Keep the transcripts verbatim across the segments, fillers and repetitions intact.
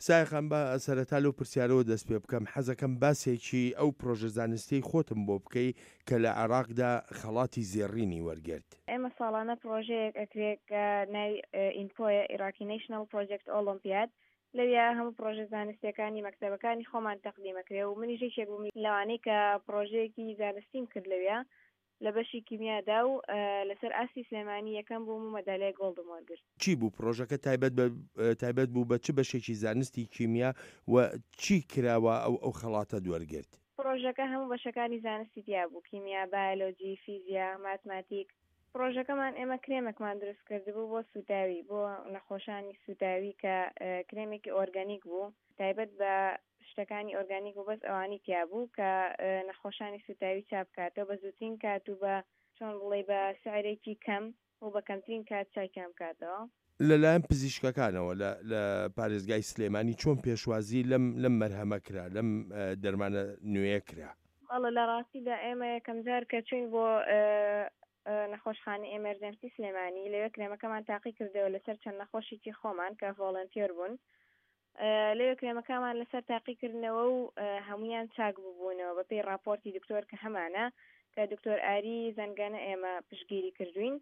سایەخان با سەرەتا لەو پرسیارەوە دەست پێ بکەم، حەزەکەم باسێکی ئەو پرۆژە زانستیەی خۆتم بۆ بکەی کە لە عێراقدا خەڵاتی زێڕینی وەرگرت. ئێمە ساڵانە پرۆژەیەک ئەکرێ کە ناوی ئینپۆیە، Iraqi National Project Olympiad، لەویا هەموو پرۆژە زانستیەکانی مەکتەبەکانی خۆمان تەقدیم ئەکرێ و منیش یەکێک بووم لەوانەی کە پرۆژەیەکی زانستیم کرد لەویا لە بەشی کیمیادا و لەسەر ئاستی سلێمانی یەکەم بووم و مەدالیای گۆڵدم وەرگرت. چی بوو پرۆژەکە؟ تایبەت بە تایبەت بوو بە چ بەشێکی زانستی کیمیا و چی کراوە ئەو ئەو خەڵاتەت وەرگرت؟ پرۆژەکە هەموو بەشەکانی زانستی تیا بوو، کیمیا، بایۆلۆجی، فیزیا، ماتماتیک. پرۆژەکەمان ئێمە کرێمێکمان دروست کردبوو بۆ سوتاوی، بۆ نەخۆشانی سوتاوی کە کرێمێکی ئۆرگانیک بوو، تایبەت بە شتەکانی ئۆرگانیک و بەس ئەوانی تیا بوو کە نەخۆشانی سوتاوی چاک بکاتەوە بە زووترین کات و بە چۆن بڵێ بە سعرێکی کەم و بە کەمترین کات چاکیان بکاتەوە. لەلایەن پزیشکەکانەوە لە لە پارێزگای سلێمانی چۆن پێشوازی لەم لەم مەرهەمە کرا، لەم دەرمانە نوێیە کرا؟ بەڵێ، لە ڕاستیدا ئێمە یەکەم جار کە چوین بۆ نەخۆشخانەی emergency سلێمانی، لەوێ کرێمەکەمان تاقی کردەوە لەسەر چەند نەخۆشێکی خۆمان کە volunteer بوون. لەوێ کرێمەکەمان لەسەر تاقیکردنەوە و هەمویان چاک ببوونەوە بە پێی راپۆرتی دکتۆر کە هەمانە، کە دکتۆر ئاری زەنگەنە ئێمە پشتگیری کردوین،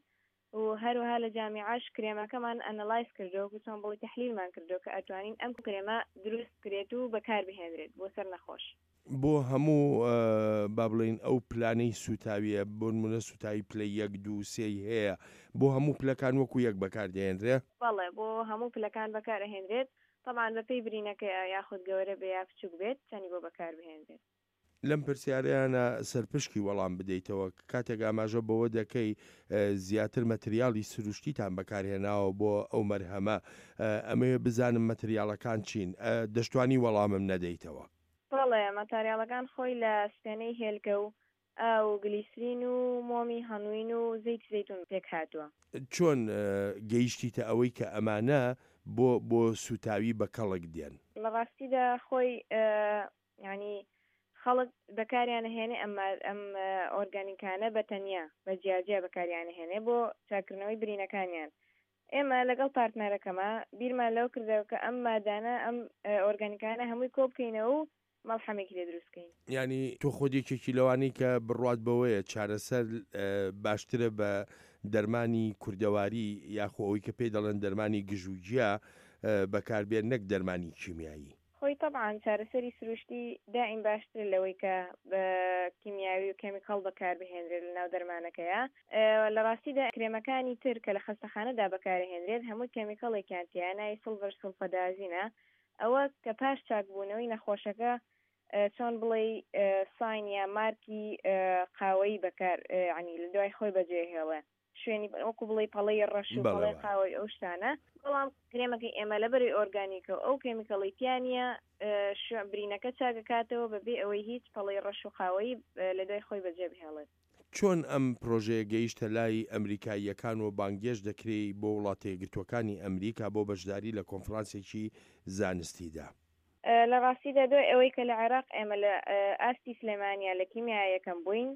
و هەروەها لە جامیعاش کرێمەکەمان analyze کردو و چۆن بڵی تحلیلمان کردو کە ئەتوانین ئەم کرێمە دروست بکرێت و بەکار بهێنرێت بۆ سەر نەخۆش. بۆ هەموو با بڵین ئەو پلانەی سوتاویە، بۆ نمونە سوتاوی پلەی یەک، دوو، سێی هەیە، بۆ هەموو پلەکان وەکو یەک بەکاردێنرێ؟ بەڵێ، بۆ هەموو پلەکان بەکارئەهێنرێت، طبعا بەپێی برینەکەیە یاخود گەورە بێ یا بچووک بێت چەنی بۆ بەکار بهێنرێت. لەم پرسیارەیانە سەرپشکی وەڵام بدەیتەوە، کاتێک ئاماژە بەوە دەکەی زیاتر مەتریاڵی سروشتیتان بەکارهێناوە بۆ ئەو مەرهەمە، ئەمەوێ بزانم مەتریاڵەکان چین، دەشتوانی وەڵامم نەدەیتەوە؟ بەڵێ، ماتاریاڵەکان خۆی لە سپێنەی هێلکە و ئاو و گلیسرین و مۆمی هەنوین و زەیتی زەیتون پێک هاتووە. چۆن گەیشتیتە ئەوەی کە ئەمانە بۆ بۆ سوتاوی بە کەڵک دێن؟ لە ڕاستیدا خۆی یعنی خەڵک بەکاریان هێنێ ئەم ئەم ئۆرگانیکانە بە تەنیا بە جیاجیا بەکاریان هێنێ بۆ چاکردنەوەی برینەکانیان. ئێمە لەگەڵ پارتنەرەکەمە بیرمان لەو کردەوە کە ئەم مادانە، ئەم ئۆرگانیکانە هەمووی کۆ بکەینەوە و مەڵحەمێکی لێ دروست بکەین. یعنی تۆ خۆت یەکێکی لەوانەی کە بڕوات بەوەیە چارەسەر باشترە بە دەرمانی کوردەواری یاخۆ ئەوەی کە پێی دەڵێن دەرمانی گژوگیا بەکاربێن نەک دەرمانی کیمیایی؟ خۆی طبعا چارەسەری سروشتی دائیم باشتر لەوەی کە بە کیمیاوی و chemical بەکاربهێنرێت لەناو دەرمانەکەیە. لە ڕاستیدا کرێمەکانی تر کە لە خەستەخانەدا بەکارهێنرێت هەموو chemical ێکیان تیایە، ناوی silver sulfadiazine ە. ئەوە کە پاش چاکبوونەوەی نەخۆشەکە چۆن بڵێ sign یا مارکی قاوەیی بەکار ینی لە دوای خۆی بەجێ هێڵێ، شوێنی وەکو بڵێ پەڵەی ڕەش و پەڵەی قاوەی ئەو شتانە. بەڵام کرێمەکەی ئێمە لەبەری ئۆرگانیکە و ئەو chemical ی تیانە برینەکە چاگەکاتەوە بەبێ ئەوەی هیچ پەڵەی ڕەش و قاوەیی لە دوای خۆی بەجێ بهێڵێت. چۆن ئەم پرۆژەیە گەیشتە لای ئەمریکاییەکان و بانگێشت دەکرێت بۆ وڵاتە یەکگرتووەکانی ئەمریکا بۆ بەشداری لە کۆنفرانسێکی زانستیدا؟ لە ڕاستیدا دوای ئەوەی کە لە عێراق ئێمە لە ئاستی سلێمانیا لە کیمیا یەکەم بووین،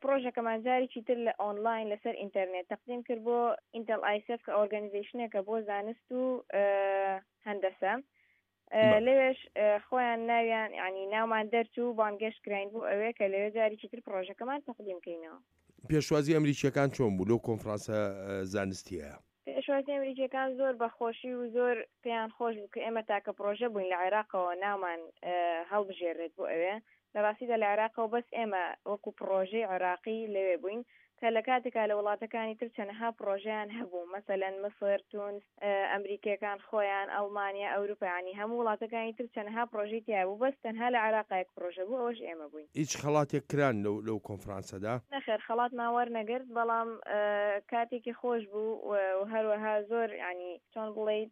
پرۆژەکەمان جارێکی تر لە ئۆنلاین لەسەر ئینتەرنێت تەقدیم کرد بۆ Intel ISEF کە organization ێکە بۆ زانست و هەندەسە. لەوێش خۆیان ناویان ینی ناومان دەرچوو، بانگێشت کراین بۆ ئەوێ کە لەوێ جارێکی تر پرۆژەکەمان تەقدیم کەینەوە. پێشوازی ئەمریکیەکان چۆن بوو لەو کۆنفرانسە زانستیە؟ پێشوازی ئەمریکیەکان زۆر بەخۆشی و زۆر پێیان خۆش بوو کە ئێمە تاکە پرۆژە بووین لە عێراقەوە ناومان هەڵبژێرێت بۆ ئەوێ. لە ڕاستیدا لە عێراقەوە بەس ئێمە وەکو پرۆژەی عێراقی لەوێ بووین کە لە کاتێکا لە وڵاتەکانی تر چەنەها پرۆژەیان هەبوو، مەسەلەن مسر، تونس، ئەمریکیەکان خۆیان، ئەڵمانیا، ئەوروپا، ینی هەموو وڵاتەکانی تر چەنەها پرۆژەی تیا بوو، بەس تەنها لە عێراق یەک پرۆژە بوو، ئەوەش ئێمە بووین. هیچ خەڵاتێک کران لەو لەو کۆنفرانسەدا؟ نەخێر، خەڵاتمان وەرنەگرت، بەڵام کاتێکی خۆش بوو و هەروەها زۆر ینی چۆن بڵیت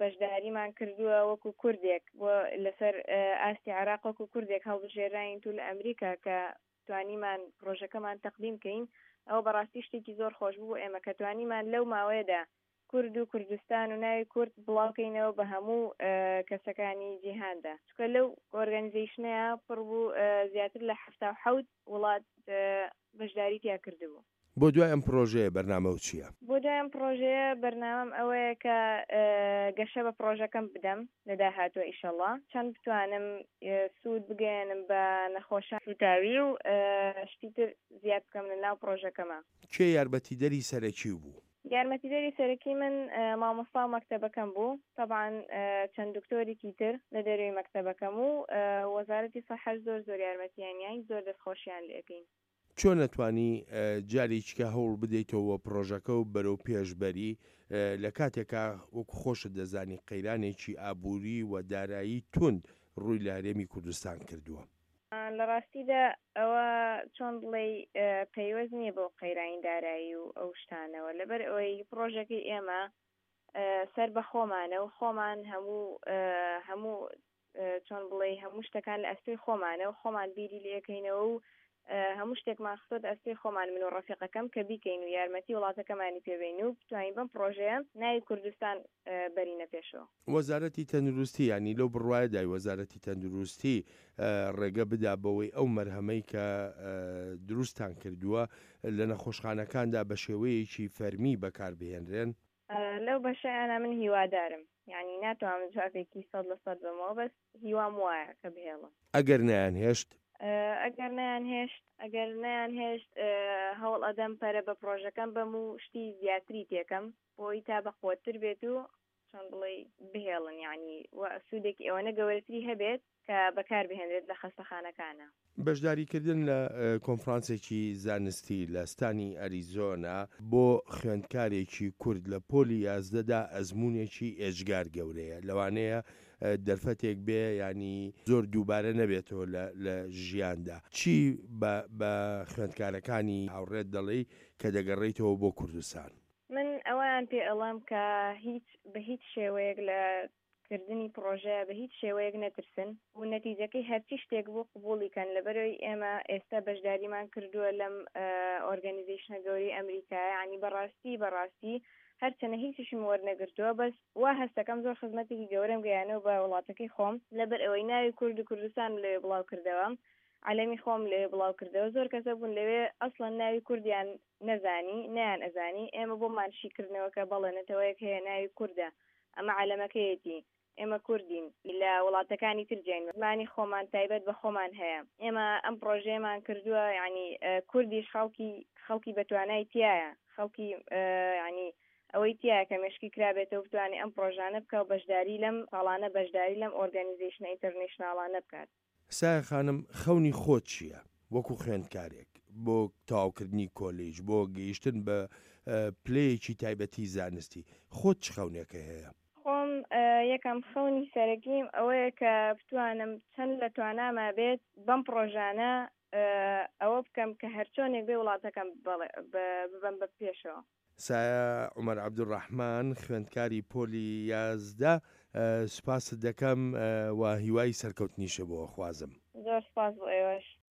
بەشداریمان کردووە وەکو کوردێک بۆ لەسەر ئاستی عێراق وەکو کوردێک هەڵبژێراین تو لە ئەمریکا کە توانیمان پرۆژەکەمان تەقدیم کەین. ئەوە بەڕاستی شتێکی زۆر خۆش بوو ئێمە کە توانیمان لەو ماوەیەدا کورد و کوردستان و ناوی کورد بڵاوکەینەوە بە هەموو کەسەکانی جیهاندا، چونکە لەو organization ەیە پڕ بوو زیاتر لە حەفتا و حەوت وڵات بەشداری تیا کردبوو. بۆ دوای ئەم پرۆژەیە بەرنامەو چییە؟ بۆ دوای ئەم پرۆژەیە بەرنامەم ئەوەیە کە گەشە بە پرۆژەکەم بدەم لە داهاتووە ئیشەڵا، چەند بتوانم سوود بگەیەنم بە نەخۆشان سووتاوی و شتی تر زیاد بکەم لە ناو پرۆژەکەما. کێ یارمەتیدەری سەرەکی بوو؟ یارمەتیدەری سەرەکی من مامۆستا و مەکتەبەکەم بوو، تەبعەن چەند دکتۆرێکی تر لە دەرەوەی مەکتەبەکەم و وەزارەتی سەحەش زۆر زۆر یارمەتیان یاین، زۆر دەستخۆشیان لێ ئەکەین. چۆن ئەتوانی جارێکیکە هەوڵ بدەیتەوە پرۆژەکە و بەرەو پێش بەری لە کاتێکا وەکو خۆشت دەزانی قەیرانێکی ئابووری و دارایی توند ڕووی لە هەرێمی کوردستان کردووە؟ لە ڕاستیدا ئەوە چۆن بڵێی پەیوەست نییە بەو قەیرانی دارایی و ئەو شتانەوە، لەبەر ئەوەی پرۆژەکەی ئێمە سەر بە خۆمانە و خۆمان هەموو هەموو چۆن بڵێی هەموو شتەکان لە ئەستۆی خۆمانە و خۆمان بیری لێکەینەوە و هەموو شتێکمان خستۆتە ئەستۆی خۆمان من و ڕەفیقەکەم کە بیکەین و یارمەتی وڵاتەکەمانی پێ بەین و بتوانین بەم پڕۆژەیە ناوی کوردستان بەرینە پێشەوە. وەزارەتی تەندروستی یانی لەو بڕوایەدای وەزارەتی تەندروستی ڕێگە بدا بەوەی ئەو مەرهەمەی کە دروستتان کردووە لە نەخۆشخانەکاندا بە شێوەیەکی فەرمی بەکاربهێنرێن؟ لەو بەشەیانە من هیوادارم، یانی ناتوانم جوابێکی سەد لە سەد بەمەوە بەس هیوام وایە کە بهێڵن. ئەگەر نەیانهێشت؟ ئەگەر نەیانهێشت ئەگەر نەیانهێشت هەوڵ ئەدەم پەرە بە پرۆژەکەم بەم و شتی زیاتری تێکەم بۆی تا بەقوەتتر بێت و چۆن بڵێی بهێڵن، یعنی سوودێکی ئەوەنە گەورەتری هەبێت کە بەکار بهێنرێت لە خەستەخانەکانە. بەشداریکردن لە کۆنفرانسێکی زانستی لە ستانی ئەریزۆنا بۆ خوێندکارێکی کورد لە پۆلی یازدەدا ئەزمونێکی ئێجگار گەورەیە، لەوانەیە دەرفەتێک بێ ینی زۆر دووبارە نەبێتەوە لە ژیاندا. چی بە خوێندکارەکانی هاوڕێت دەڵێی کە دەگەڕێیتەوە بۆ کوردستان؟ من ئەوەیان پێ ئەڵێم کە هیچ بە هیچ شێوەیەک لە کردنی پرۆژەیە بە هیچ شێوەیەک نەترسن و نەتیجەکەی هەرچی شتێک بوو قبوڵی کەن، لەبەرەوەی ئێمە ئێستا بەشداریمان کردووە لەم ئۆرگەنیزەیشنە گەورەی ئەمریکایە، یعنی بەڕاستی بەڕاستی هەرچەنە هیچیشم وەرنەگرتووە بەس وا هەستەکەم زۆر خزمەتێکی گەورەم گەیانەوە بە وڵاتەکەی خۆم، لەبەر ئەوەی ناوی کورد و کوردستانم لەوێ بڵاو کردەوە، عەلەمی خۆم لەوێ بڵاو کردەوە، زۆر کەسە بوون لەوێ ئەسڵەن ناوی کوردیان نەزانی نەیان ئەزانی، ئێمە بۆمان شیکردنەوە کە بەڵێ نەتەوەیەک هەیە ناوی کوردە، ئەمە عەلەمەکەیەتی، ئێمە کوردین لە وڵاتەکانی تر جیاین، زمانی خۆمان تایبەت بە خۆمان هەیە، ئێمە ئەم پرۆژەیەمان کردووە، یعنی کوردیش خەڵکی خەڵکی بەتوانای تایە، خەڵکی یعنی ئەوەی تایە کە مێشکی کرابێتەوە بتوانێت ئەم پرۆژانە بکە و بەشداری لەم ساڵانە بەشداری لەم ئۆرگانیزەیشنە ئینتەرنەشناڵانە بکات. سایە خانم، خەونی خۆت چییە وەکو خوێندکارێک بۆ تەواوکردنی کۆلیج، بۆ گەیشتن بە پلەیەکی تایبەتی زانستی، خۆت چ خەونێکە هەیە؟ خۆم یەکەم خەونی سەرەکیم ئەوەیە کە بتوانم چەند لە تواناما بێت بەم پرۆژانە ئەوە بکەم کە هەرچۆنێک بێ وڵاتەکەم ببەم بە پێشەوە. سایە عومەر عەبدولڕەحمان، خوێندکاری پۆلی یازدە، سوپاست دەکەم و هیوای سەرکەوتنیشە بۆ خوازم. زۆر سوپاس بۆ ئێوەش.